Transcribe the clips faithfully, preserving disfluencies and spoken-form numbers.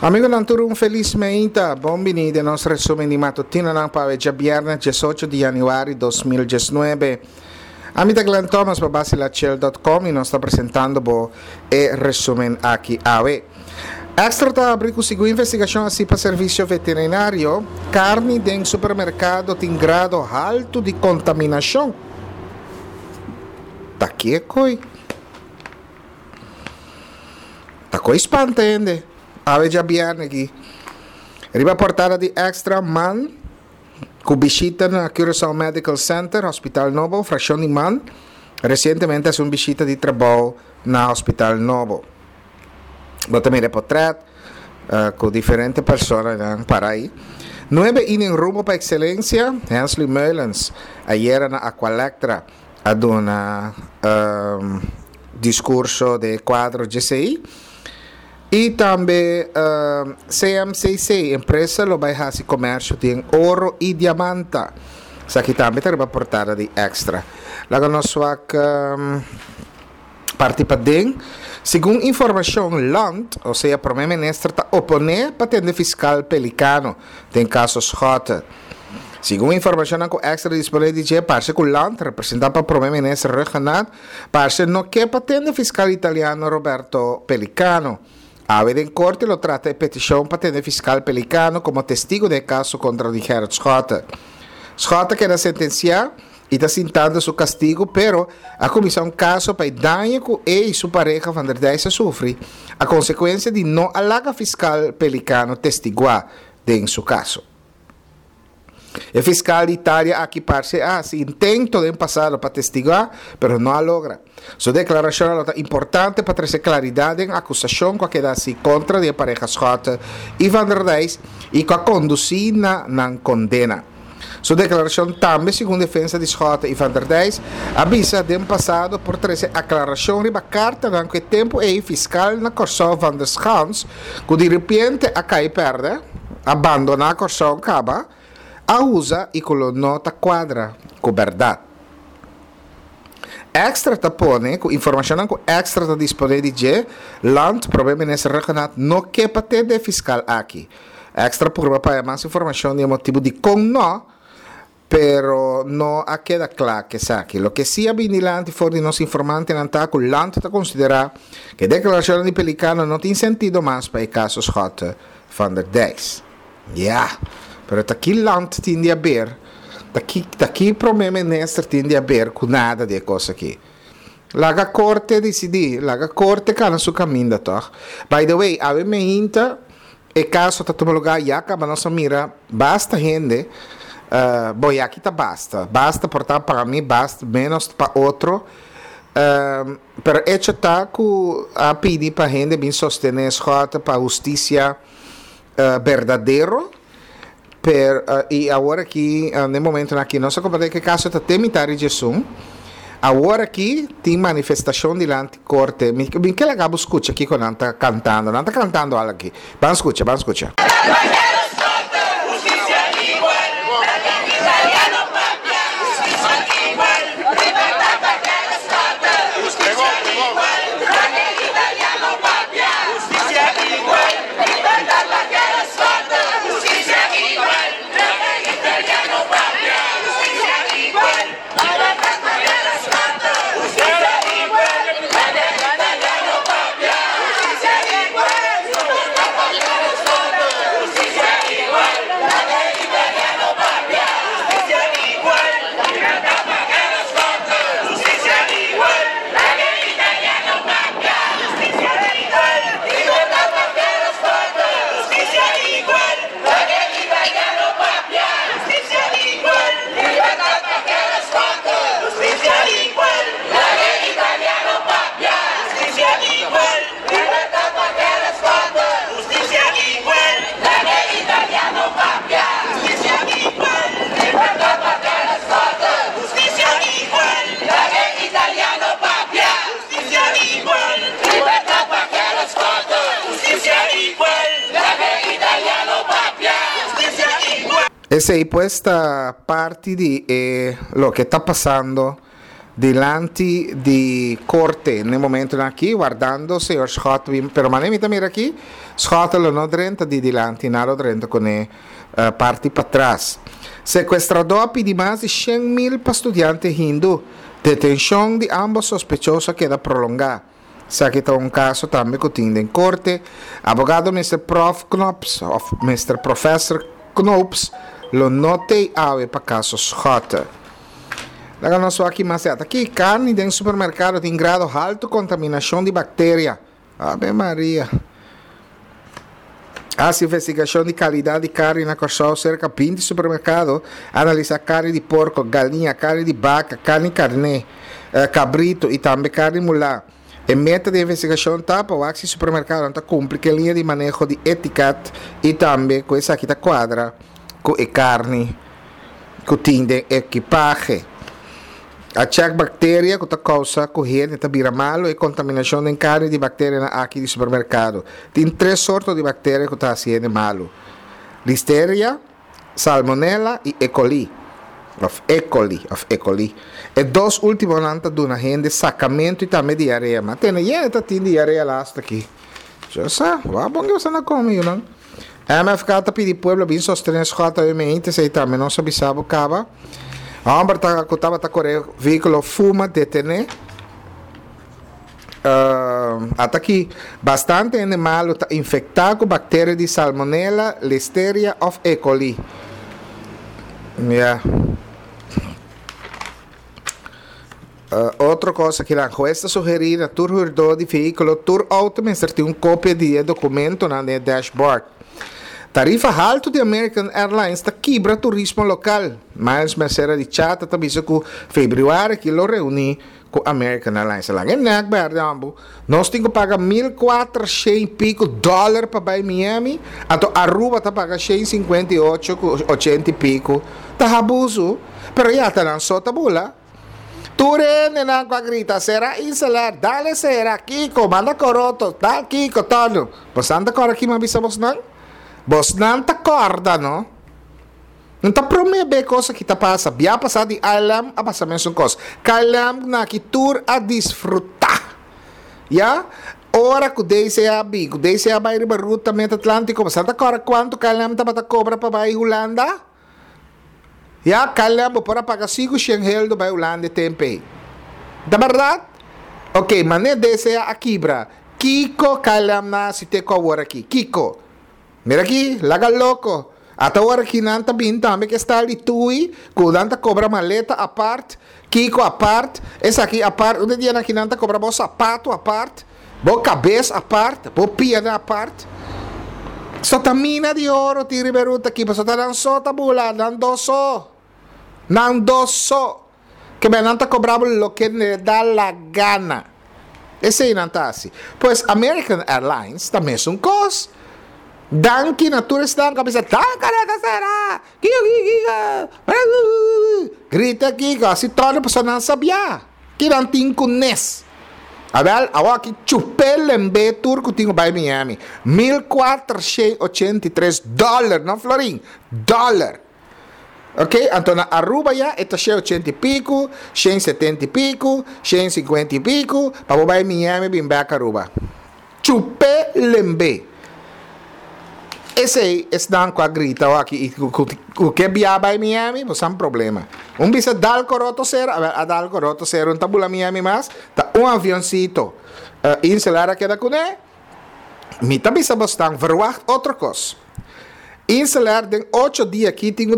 Amigonan tur un felis meinta, bon bini den nos resumen di matutinonan pa awe djabièrnè diesocho di yanüari dos mil diesnuebe. Ami ta Glenn Thomas pa Basilachel dot com i nos ta presentando bo e resumen aki awe. Extra ta abri ku segun investigashon hasi pa Servisio Veterinario, karni den supermerkado tin grado haltu di kontaminashon. Ta kiekoi? Ta koi spanta hende. Awe djabièrnè aki. Riba portada di Extra, man ku bishita na Curaçao Medical Center, Hospital Nobo, Frakshon di man resientemente hasi un bishita di trabou na Hospital Nobo. Bo ta mira e potrèt ku diferente personanan para ei. Nuebe inen rumbo pa ekselensia, Hensley Meulens ayera na Aqualectra a duna diskurso den e kuadro djesei. I tambe C M C C, empresa lo bai hasi komersio den oro i diamanta. Esaki tambe ta riba portada di Extra. Laga nos wak parti paden. Segun informashon, Land, osea Prome Minister, ta oponé pa tende fiskal Pelicano den kaso Schotte. Segun informashonnan ku Extra disponé di dje, parse ku Land, representá pa Prome Minister Rhuggenaath, parse no ke pa tende fiskal italiano Roberto Pelicano. Awe den korte lo trata e petishon pa tende fiskal Pelicano komo testigu den e kaso kontra di Gerrit Schotte. Schotte keda sentensiá i ta sintando su kastigu, pero a kuminsá un kaso pa e daño ku e i su pareha Van der Dijs a sufri a konsekuensia di no a laga fiskal Pelicano testiguá den su kaso. E fiskal di Italia aki parse a hasi intento den pasado pa testiguá, pero no a logra. Su deklarashonnan lo ta importante pa trese klaridat den akusashon ku a keda hasi kontra di e pareha Schotte i Van der Dijs i ku a kondusí na nan kondena. Su deklarashon tambe, segun defensa di Schotte i Van der Dijs, a bisa den pasado por trese aklarashon riba kartanan ku e tempu ei fiskal na Kòrsou Van der Schans, ku diripiente a kai pèrdè, a bandoná Kòrsou kaba, a usa i ku lo no ta kuadra ku bèrdat. Extra ta pone ku informashonnan ku Extra ta disponé di dje, Land, Prome Minister Rhuggenaath no ke pa tende e fiskal aki. Extra purba pa haña mas informashon di e motibu dikon no, pero no a keda kla ku esaki. Loke si a bini dilanti for di nos informantenan ta ku Land ta konsiderá ku e deklarashonnan di Pelicano no tin sentido mas pa e kaso Schotte van der Dijs. Ya, pero ta ki Land tin di haber, ta ki, ta ki Prome Minister tin di haber ku nada di e kos aki? Laga korte disidí, laga korte kana su kaminda tòg. By the way, awe meinta e kaso ta tuma lugá, ya kaba nos a mira basta hende, eh, bo ya aki ta basta, basta por ta pa mi, basta menos pa otro, eh, pero echo ta ku a pidi pa hende bin sostené Schotte pa hustisia berdadero, per, i awor aki, den momentonan aki, nos a komprendé ku e kaso ta te mitad di djesun. Awor aki tin manifestashon dilanti korte. Mi, mi ke laga bo skucha kiko nan ta kantando. Nan ta kantando al aki. Ban skucha, ban skucha. Esei pues ta parti di e loke ta pasando Dilanti di korte na e momentonan aki wardando señor Schotte bin pero mane mi ta mira aki Schotte lo no drenta di dilanti nan lo drenta kune parti patras. Sekuestradó a pidi mas di shen mil pa studiante hindu. Detenshon di ambos sospechoso a keda prolongá. Esaki ta un kaso tambe ku tin den korte. Abogado Mister Prof Knops òf Mister Professor Knoops lo no tei awe pa kaso Schotte. Laga nos wak ki mas e ata. Ki karni den supermerkado tin grado haltu kontaminashon di bakteria? Ave Maria! Hasi investigashon di kalidat di karni na Kòrsou serka binti supermerkado. Analisá karni di porko, galiña, karni di baka, karni karné, kabritu i tambe karni mulá. E meta di e investigashon ta pa wak si supermerkadonan ta kumpli ku e liña di maneho di etikat i tambe ku esaki ta kuadra ku e karni ku tin den ekipahe. A chèk bakteria ku ta kousa ku hende ta bira malu e kontaminashon den karni di bakterianan aki di supermerkado. Tin tres sorto di bakteria ku ta hasi hende malu, Listeria, Salmonella i E. coli, òf E. coli, òf E. coli. E dos últimonan ta duna hende sakamentu i tambe diarea. Ma tene yende ta tin diarea lastu aki. Yo sa, wak bon ke boso na kome, yunan. M F K ta pidi pueblo bin sostené Schot awe meinte, esei tambe nos a bisa bo kaba. Hòmber ta ku tabata kore vehíkulo fuma detené. Ata aki, bastante hende malu ta infektá ku bakteria di salmonela, listeria òf E. coli. Ya. Otro kos aki nan, hues ta sugerí na tur hürdó di vehíkulo tur outo mester tin un kopia di e dokumentonan den e dashboard. Tarifa haltu di American Airlines ta kibra turismo lokal. Miles Mercera di Chata ta bisa ku febrüari aki lo reuní ku American Airlines. Laga e nek berde ambu. Nos tin ku paga mil kuater shen i piku dòler pa bai Miami, anto Aruba ta paga shen sinkuenta i ocho ku ochenta i piku. Ta habusu, pero ya ta nan so ta bula. Tur hendenan ku a grita, Sera Inselair, dale sera, kiko, manda koroto, dal kiko, tònu. Bosnan ta kòrda kima bisa bosnan? Bosnan ta kòrda, no? No ta promé be kos aki ta pasa. Bia pasá di A L M a pasa mesun kos. K L M na aki tur a disfrutá. Ya? Ora ku D C A bin, ku D C A bai riba ruta Mid Atlántiko, bosnan ta kòrda kuantu K L M tabata kobra pa bai Hulanda? Ya, K L M bo por a paga sinku shen heldo bai Hulanda e tempu ei. Ta bèrdat? Oké, manera D C A a kibra, kiko K L M na hasi te ku awor aki? Kiko? Mira aki, laga loko. Ata ora ki nan ta bin tambe ke style di tui, ku nan ta kobra maleta apart, kiko apart, esaki apart, un di dianan ki nan ta kobra bo sapato apart, bo kabes apart, bo pianan apart. So ta mina di oro tin riba e ruta aki, pasobra ta nan so ta bula, nan dos so. Nan dos so. Ke men nan ta kobra bo loke ne da la gana. Esei nan ta hasi. Pues American Airlines ta mesun kos. Danki na tur esnan ku a bisa, Tanka no ta sera! Kiko kiko kiko! Grita kiko, hasi todo pasobra nan sabia ki nan tin ku nes. Awel, awor aki chup'é lemb'é tur ku tin ku bai Miami. Mil kuatershen ochenta i tres dòler, no florin, dòler. Ok, anto na Aruba ya e ta shen ochenta i piku, shen setenta i piku, shen sinkuenta i piku, pa bo bai Miami bin bèk Aruba. Chup'é lemb'é. Esei esnan ku a grita awor aki i ku ke bia bai Miami, bo san problema. Un bisa dal koroto sero, awel a dal koroto sero, un ta bula Miami mas, ta un avioncito Inselair a keda kuné. Mi ta bisa bosnan, verwacht otro kos. Inselair den ocho dia aki tin ku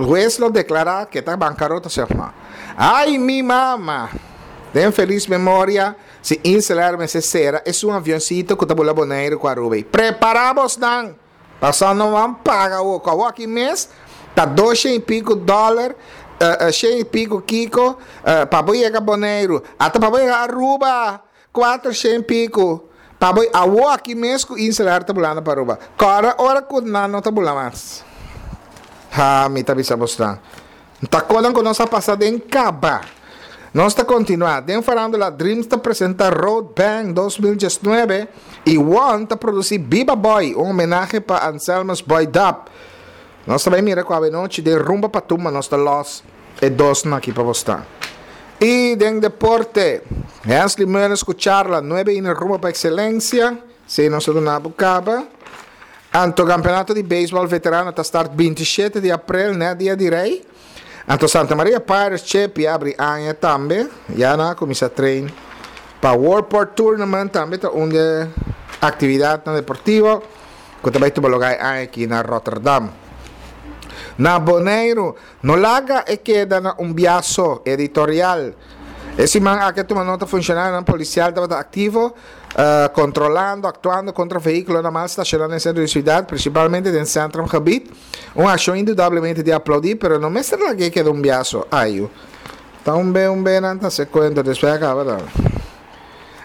hues lo deklará ke ta bankarota si òf no. Ai mi mama! Den felis memoria, si Inselair mester sera esun avioncito ku ta bula Boneiru ku Aruba ei. Prepará bosnan! Pasobra no ban paga awor ku awor aki mes ta dos shen i piku dòler, shen i piku kiko, pa bo yega Boneiru. Ata pa bo yega Aruba! Kuater shen piku pa bo awor aki mes ku Inselair ta bulando pa Aruba. Kòrda ora ku nan no ta bula mas. Ha, mi ta bisa bosnan. Ta konan ku nos a pasa den kaba. Nos ta kontinuá. Den Farándula Dreams ta presenta Road Bang dos mil diesnuebe i One ta produsí Biba Boy, un homenahe pa Anselmus Boy Dap. Nos ta bai mira ku awenochi den Rumba pa Tumba nos ta lòs e dosnan aki pa bosnan. I den deporte, Hensley Meulens ku charla nuebe inning rumbo pa ekselensia, si nos a duna bo kaba. Anto kampeonato di beisbòl veterano ta start binti shete di aprel, ne, dia di Rei. Anto Santa Maria Pirates Chepi a habri aña tambe, ya nan a kuminsá train pa World Tournament, tambe ta un aktividat deportivo ku tambe ta tuma lugá aki na Rotterdam. Na Boneiru, no laga e keda na un biaso editorial. E siman aki tuma nota funshonarionan polisial tabata aktivo, uh, kontrolando, aktuando kontra vehíkulonan mal stashoná den sentro di siudat, prinsipalmente den centrumgebied. Un akshon indudablemente di aploudí, pero no mester laga keda un biaso. Ai, ta un be un be nan ta se kuenta despues kaba da.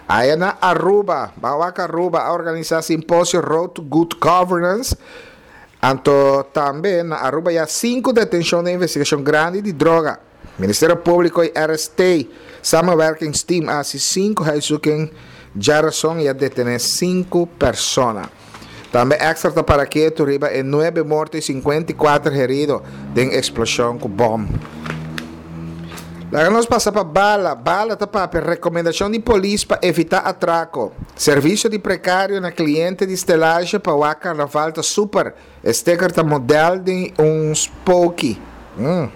Aya na Aruba, Bawaka Aruba a organisá simposio Road to Good Governance. Anto tambe na Aruba ya sinku detenshon di investigashon grandi di droga. Ministerio Públiko i R S T Samenwerkingsteam a hasi sinku huiszoeking djárason i a detené sinku persona. Tambe Extra ta para ketu riba e nuebe morto i sinkuenta i kuater herido den eksploshon ku bòm. Laga nos pasa pa Bala. Bala ta papia rekomendashon di polis pa evitá atrako. Servisio di prekario na kliente di stelage pa wak karnaval ta super. Sticker ta modelo di un spooky. Hum.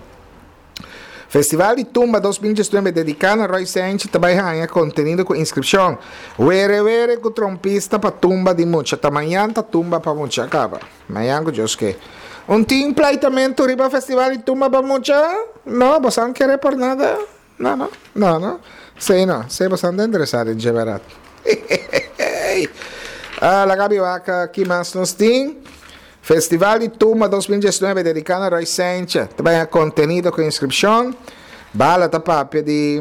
Festival di Tumba dos mil diesnuebe dediká na Roy Sanchez tambe haña kontenido ku inskripshon. Were were ku trompista pa tumba di mucha. Ta mañan ta tumba pa mucha kaba. Mañan ku Dios ke. Un tin pleitamentu riba Festival di Tumba pa mucha? No, bo no ke por nada? No, no, no, no. Si, no. Si, bo no ta interesá den berdat. Ah, laga mi wak ki mas nos tin. Festival di Tumba dos mil diesnuebe dediká na Roy Sanchez. Tambe kontenido ku inskripshon. Bala ta papia di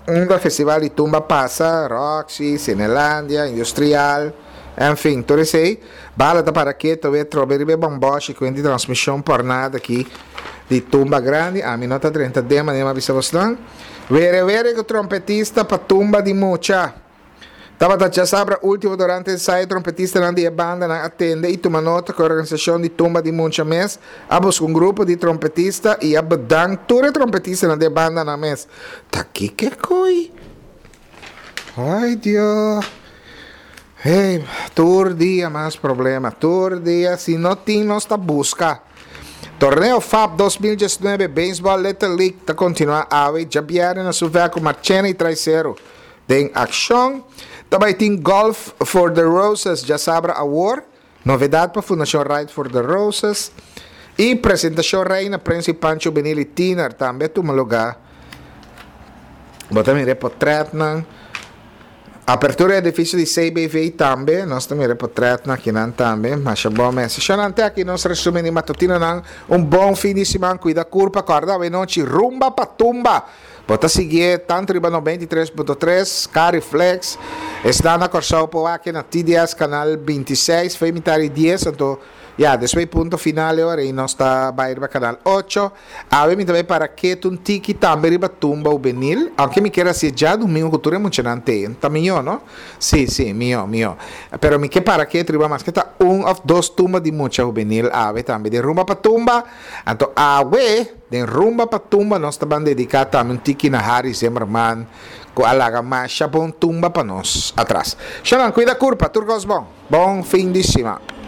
un festival di tumba pasa, Roxy, Cinelandia, Industrial, en fin, tur esei. Bala ta para ketu, we trobe riba bomboshi ku di transmishon por nada aki di tumba grandi. Ami no ta drenta den manera mi a bisa bosnan. Were were ku trompetista pa tumba di mucha. Tabata djasabra último durante ensayo trompetistanan di bandanan a tende i tuma nota ku organisashon di tumba di mucha mes a buska un grupo di trompetista i a bedank tur trompetistanan di bandanan mes. Ta kiko koi? Ai, Dios. Hey, tur dia mas problema. Tur dia, si no tin, nos ta buska. Torneo F A B dos mil diesnuebe Baseball Little League ta kontinuá awe djabièrnè na Suvek Marchena i Trai Seru den akshon. Tambe tin Golf for the Roses djasabra awor. Novedat pa Fundashon Ride for the Roses. I presentashon Reina Prince Pancho Benili Tiner tambe tuma lugá. Bo ta mira portrètnan. Apertura di edifisio di C B V tambe, nos tambe portrètnan aki nan tambe, mas bon mes. Shonante aki nos resumí di matutinonan, un bon fin di siman, kuida kurpa, kòrda anochi, Rumba pa Tumba. Bo ta sigui tantu riba nobenta i tres punto tres, Cariflex, ta na Kòrsou por aki na T D S Canal bintiseis, for di mitar di dies, anto, ya, despues Punto Final ora i nos ta bai riba Canal ocho. Awe mi tambe para ketu un tiki tambe riba tumba hubenil, aunke mi ke hasi djadumingu ku tur emoshonante, ta mihó, no? Si, si, mihó, mihó. Pero mi ke para ketu riba mas ku ta un òf dos tumba di mucha hubenil awe tambe di Rumba pa Tumba. Anto awe den Rumba pa Tumba nos ta bai dediká tambe un tiki na Harry Zimmerman ku a laga masha bon tumba pa nos atras. Shanan, kuida kurpa, tur kos bon. Bon fin di siman.